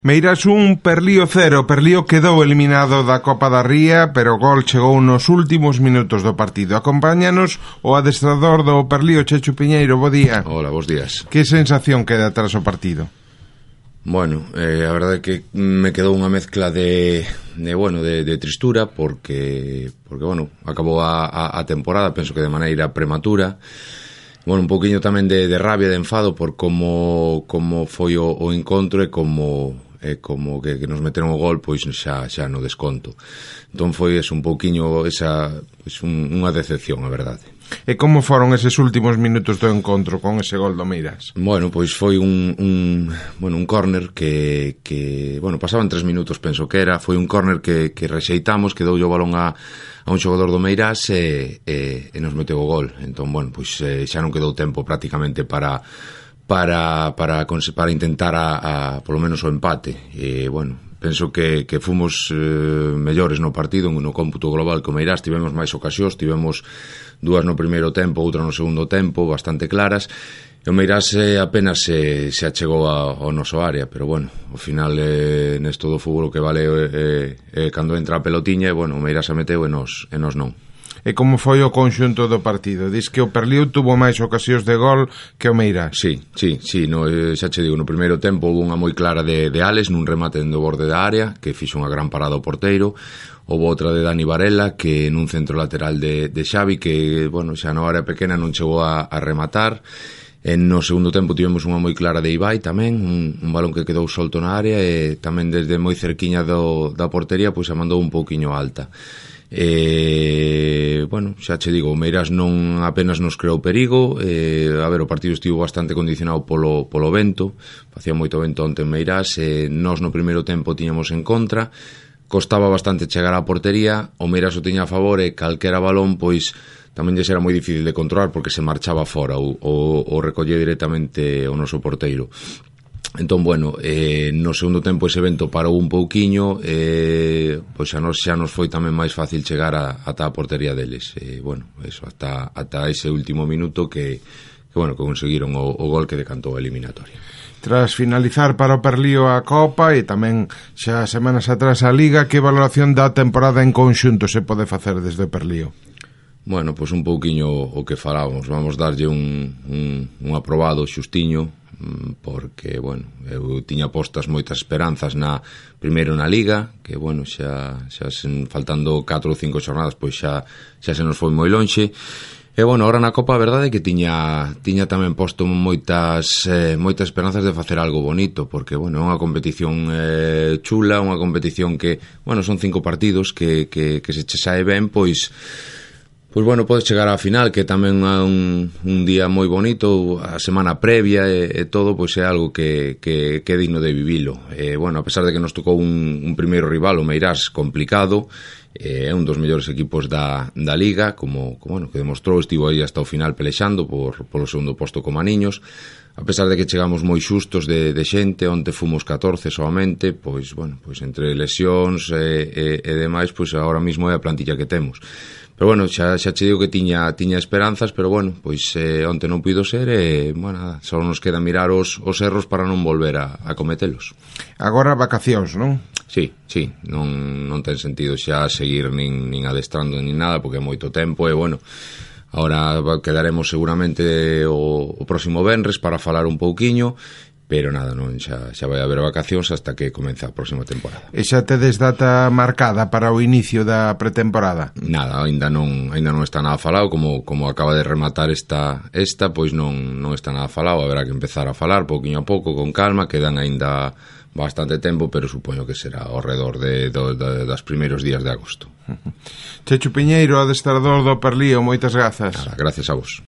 Meirás 1, Perlío 0. Perlío quedou eliminado da Copa da Ría, pero o gol chegou nos últimos minutos do partido. Acompáñanos o adestrador do Perlío, Chechu Piñeiro. Bo día. Hola, bos días. Que sensación queda tras o partido? Bueno, a verdade é que me quedou unha mezcla de tristura porque bueno, acabou a temporada, penso que de maneira prematura. Bueno, un poquinho tamén de rabia, de enfado por como foi o encontro e como que nos meteron o gol pois xa no desconto. Entón foi un pouquiño unha decepción, a verdade. E como foron eses últimos minutos do encontro con ese gol do Meirás? Bueno, pois foi un córner que pasaban 3 minutos, penso que era, foi un córner que rexeitamos, que doulle o balón a un xogador do Meirás e nos meteu o gol. Entón, bueno, pois xa non quedou tempo prácticamente para intentar polo menos o empate. E, bueno, penso que fomos mellores no partido, no cómputo global que o Meirás. Tivemos máis ocasións, tivemos 2 no primeiro tempo, outra no segundo tempo, bastante claras. E o Meirás apenas se achegou ao noso área, pero bueno, ao final nesto do fútbol o que vale cando entra a pelotiña, e bueno, o Meirás a meteu e nos non. E como foi o conxunto do partido? Diz que o Perlío tuvo máis ocasións de gol que o Meirás. Sí, xa che digo, no primeiro tempo houve unha moi clara de Alex nun remate dentro do borde da área, que fixo unha gran parada ao porteiro. Houve outra de Dani Varela, que nun centro lateral de Xavi, que, bueno, xa na área pequena non chegou a rematar. No segundo tempo tivemos unha moi clara de Ibai tamén, un balón que quedou solto na área e tamén desde moi cerquiña da portería pois a mandou un pouquiño alta. Bueno, xa che digo, o Meirás non apenas nos creou perigo. A ver, o partido estivo bastante condicionado polo vento, facía moito vento onte en Meirás, nós no primeiro tempo tiñamos en contra, costaba bastante chegar á portería, o Meirás o tiña a favor e calquera balón pois tamén lle era moi difícil de controlar porque se marchaba fora ou recollía directamente o noso porteiro. Entón, bueno, no segundo tempo ese vento parou un pouquiño, pois xa nos foi tamén máis fácil chegar ata a portería deles. Bueno, eso, ata ese último minuto que conseguiron o gol que decantou a eliminatoria. Tras finalizar para o Perlío a Copa e tamén xa semanas atrás a Liga, que valoración da temporada en conxunto se pode facer desde o Perlío? Bueno, pois un pouquiño o que falábamos, vamos darlle un aprobado xustiño, porque, bueno, eu tiña postas moitas esperanzas primeiro na Liga, que, bueno, xa faltando 4 ou 5 xornadas, pois xa se nos foi moi lonxe. E, bueno, ahora na Copa a verdade é que tiña tamén posto moitas esperanzas de facer algo bonito, porque, bueno, é unha competición chula, unha competición que, bueno, son 5 partidos que se che sae ben, pois bueno, podes chegar á final, que tamén é un día moi bonito, a semana previa e todo, pois é algo que é digno de vivilo. Bueno, a pesar de que nos tocou un primeiro rival, o Meirás, complicado, é un dos mellores equipos da Liga, como que demostrou, estivo aí hasta o final pelexando polo segundo posto con Maniños. A pesar de que chegamos moi xustos de xente, onte fomos 14 solamente, pois, bueno, pois entre lesións e demais, pois agora mesmo é a plantilla que temos. Pero, bueno, xa che digo que tiña esperanzas, pero, bueno, pois onte non puido ser e, bueno, só nos queda mirar os erros para non volver a cometelos. Agora vacacións, non? Sí, non ten sentido xa seguir nin adestrando nin nada, porque é moito tempo e, bueno, agora quedaremos seguramente o próximo venres para falar un pouquiño, pero nada, non, xa vai haber vacacións hasta que comeza a próxima temporada. E xa tedes data marcada para o inicio da pretemporada? Nada, ainda non está nada falado, como acaba de rematar esta, pois non está nada falado, haberá que empezar a falar pouquiño a pouco, con calma, quedan ainda bastante tempo, pero supoño que será ao redor das primeiros días de agosto. Chechu Piñeiro, adestrador do Perlío, moitas grazas. Nada, gracias a vos.